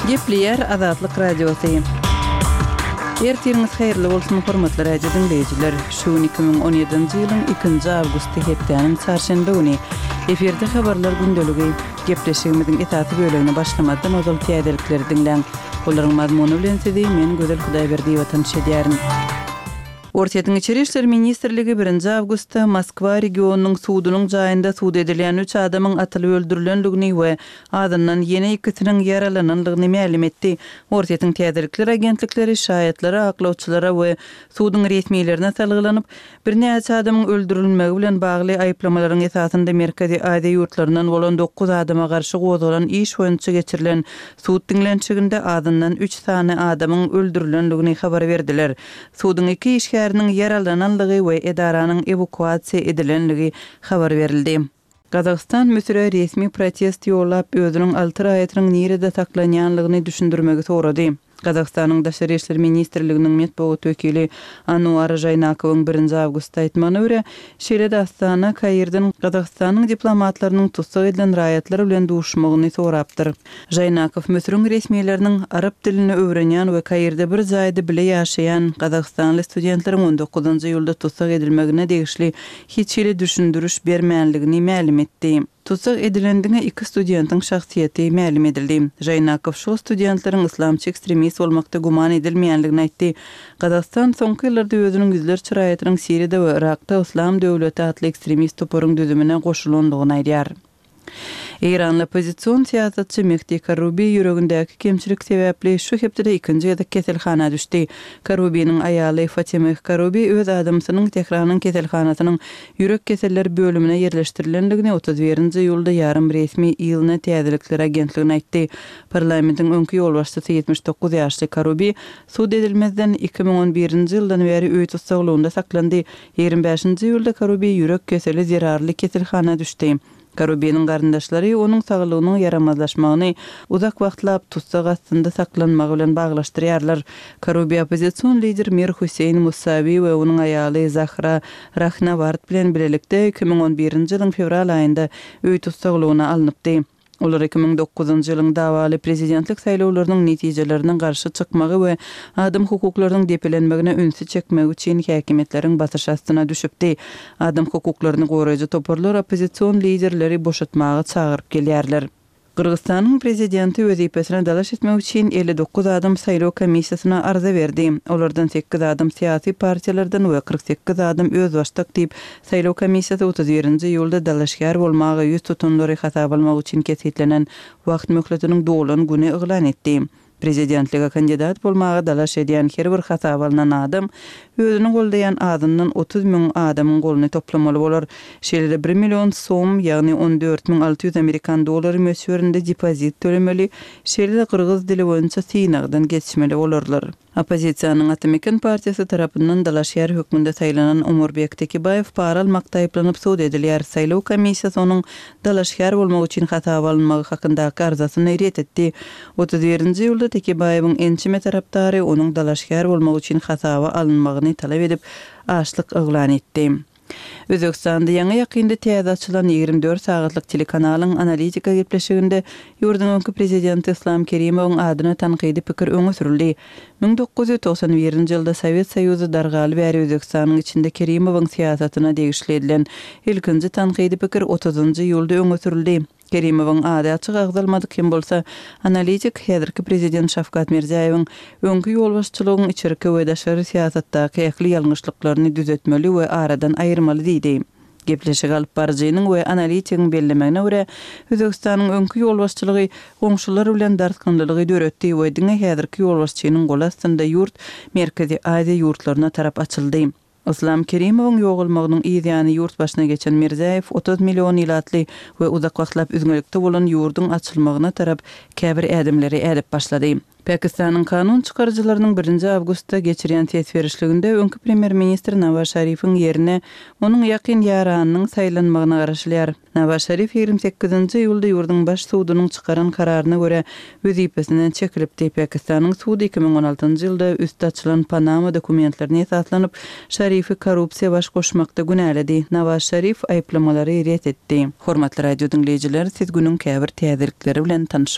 Gepleýär Azatlyk Radiosy. Ertiriňiz haýyrly bolsun, hormatly radio diňleýjiler! Şu gün 2017-nji ýylyň ikinji awgusty hepdäniň çarşenbe güni. Efirde habarlar gündeligi. Gepleşigimiziň esasy bölegine başlamazdan ozal täzelikleri diňläň. Olaryň mazmuny bilen sizi men Gözel Hudaýberdiýewa tanyş edýärin. Orsýetiň Içeri işler ministrligi birinji awgustda Moskwa regionynyň sudunyň jaýynda sud edilýän üç adamyň atylyp öldürilendigini we azyndan ýene ikisiniň ýaralanandygyny mälim etdi. Orsýetiň täzelikler agentlikleri şaýatlara, aklawçylara we suduň resmilerine salgylanyp, Birnäçe adamyň öldürilmegi bilen bagly aýyplamalaryň esasynda Merkezi Aziýa ýurtlaryndan bolan dokuz adama garşy gozgalan iş boýunça geçirilen sud diňlenişiginde azyndan üç sany adamyň öldürilendigini habar berdiler. Suduň iki işgäriniň ýaralananlygy we edaranyň ewakuasiýa edilenligi habar berildi. Gazagystan Müsüre resmi protest ýollap, özüniň alty raýatynyň nirede saklanýanlygyny düşündirmegi sorady. Gazagystanyň Daşary işler ministrliginiň metbugat wekili Anuar Žaýnakowyň birinji awgustda aýtmagyna görä, şeýle-de Astana Kairden Gazagystanyň diplomatlarynyň tussag edilen raýatlar bilen duşmagyny sorapdyr. Žaýnakow Müsüriň resmileriniň arap dilini öwrenýän we Kairde bir jaýda bile ýaşaýan gazagystanly studentleriň on dokuzynjy iýulda tussag edilmegine degişli hiç hili düşündiriş bermänligini mälim etdi. Tussag edilen diňe iki studentiň şahsyýeti mälim edildi. Žaýnakow şol studentleriň yslamçy ekstremist bolmakda güman edilmeýänligini aýtdy. Gazagystan soňky ýyllarda özüniň ýüzlerçe raýatynyň Siriýada we Yrakda Yslam döwleti atly ekstremist toparyň düzümine goşulandygyny aýdýar. Eýranly oppozision syýasatçy Mehdi Karrubi ýüregindäki kemçilik sebäpli şu hepdede ikinji gezek keselhana düşdi. Karrubiniň aýaly Fatimeh Karrubi öz adamsynyň Tähranyň keselhanasynyň ýürek keseller bölümine ýerleşdirilendigini 31 nji iýulda ýarym resmi ILNA täzelikler agentligine aýtdy. Parlamentiň öňki ýolbaşçysy 79 ýaşly Karrubi sud edilmezden 2011-nji ýyldan bäri öý tussaglygynda saklandy. 25-nji iýulda Karubi ýürek keseli zerarly keselhana düşdi. Karubiniň garyndaşlary onuň saglygynyň ýaramazlaşmagyny uzak wagtlap tussag astynda saklanmagy bilen baglaşdyrýarlar. Karubi oppozision lider Mir Hüseýin Musawi we onuň aýaly Zahra Rahnaward bilen bilelikde 2011-nji ýylyň fewral aýynda öý tussaglygyna alnypdy. Olar 2009-njy ýylyň dawaly prezidentlik saýlawlarynyň netijelerine garşy çykmagy we adam hukuklarynyň depelenmegine ünsi çekmegi üçin häkimiýetleriň basyşy astyna düşüpdi. Adam hukuklaryny goraýjy toparlar oppozision liderleri boşatmaga çagyryp gelýärler. Gyrgyzystanyň prezidenti wezipesine dalaş etmek üçin 59 adam saýlaw komissiýasyna arza berdi. Olardan sekiz adam syýasy partiýalardan we 48 adam özbaşdak diýip, Saýlaw komissiýasy 31-nji iýulda dalaşgär bolmaga ýüz tutanlary hasaba almak üçin kesgitlenen wagt möhletiniň dolan güni yglan etdi. Prezidentlige kandidat bolmaga dalaş edýän her bir hasaba alnan adam özüni goldaýan azyndan 30 müň adamyň goluny toplamaly bolar. Şeýle-de bir million som, ýagny 14 600 amerikan dollary möçberinde depozit tölemeli, şeýle-de gyrgyz dili boýunça synagdan geçmeli bolarlar. Oppozisiýanyň Ata-Meken partiýasy tarapyndan dalaşgär hökmünde saýlanan Omurbek Tekebaýew para almakda aýyplanyp sud edilýär. Saýlaw komissiýasy onuň dalaşgär bolmak üçin hasaba alynmagy hakyndaky arzasyny ret etdi. 31-nji iýulda Tekebaýewiň ençeme tarapdary onuň dalaşgär bolmak üçin hasaba alynmagyny talap edip, açlyk yglan etdi. Özbegistanda ýaňy-ýakynda täze açylan 24 sagatlyk telekanalyň Analitika gepleşiginde ýurduň öňki prezidenti Yslam Kerimowyň adyna tankydy pikir öňe sürüldi. 1991-nji ýylda Sowet Soýuzy dargaly bäri Özbegistanyň içinde Kerimowyň syýasatyna degişli edilen ilkinji tankydy pikir otuzynjy iýulda öňe sürüldi. Kerimowyň ady açyk agzalmadyk hem bolsa, analitik häzirki prezident Şawkat Mirziýaýewiň öňki ýolbaşçylygyň içerki we daşary syýasatdaky ähli ýalňyşlyklaryny düzetmeli we aradan aýyrmaly diýdi. Gepleşigi alyp baryjynyň we analitigiň bellemegine görä, Özbegistanyň öňki ýolbaşçylygy goňşular bilen dartgynlylygy döretdi we diňe häzirki ýolbaşçynyň goly astynda ýurt Merkezi Aziýa ýurtlaryna tarap açyldy. Yslam Kerimowyň ýogalmagynyň yz ýany ýurt başyna geçen Mirziýaýew 30 million ilatly we uzak wagtlap üzňelikde bolan ýurduň açylmagyna tarap käbir ädimleri ädip başlady. Pakistanyň kanun çykaryjylarynyň birinji awgustda geçirýän ses berişliginde öňki premýer-ministr Nawaz Şarifiň ýerine onuň ýakyn ýaranynyň saýlanmagyna garaşylýar. Nawaz Şarif 28-nji iýulda ýurduň Baş sudunyň çykaran kararyna görä, wezipesinden çekilipdi. Pakistanyň sudy 2016-njy ýylda üsti açylan Panama dokumentlerine esaslanyp, Şarifi korrupsiýa baş goşmakda günäledi. Nawaz Şarif aýyplamalary ret etdi. Hormatly radio diňleýjiler, siz günüň käbir täzelikleri bilen tanyş.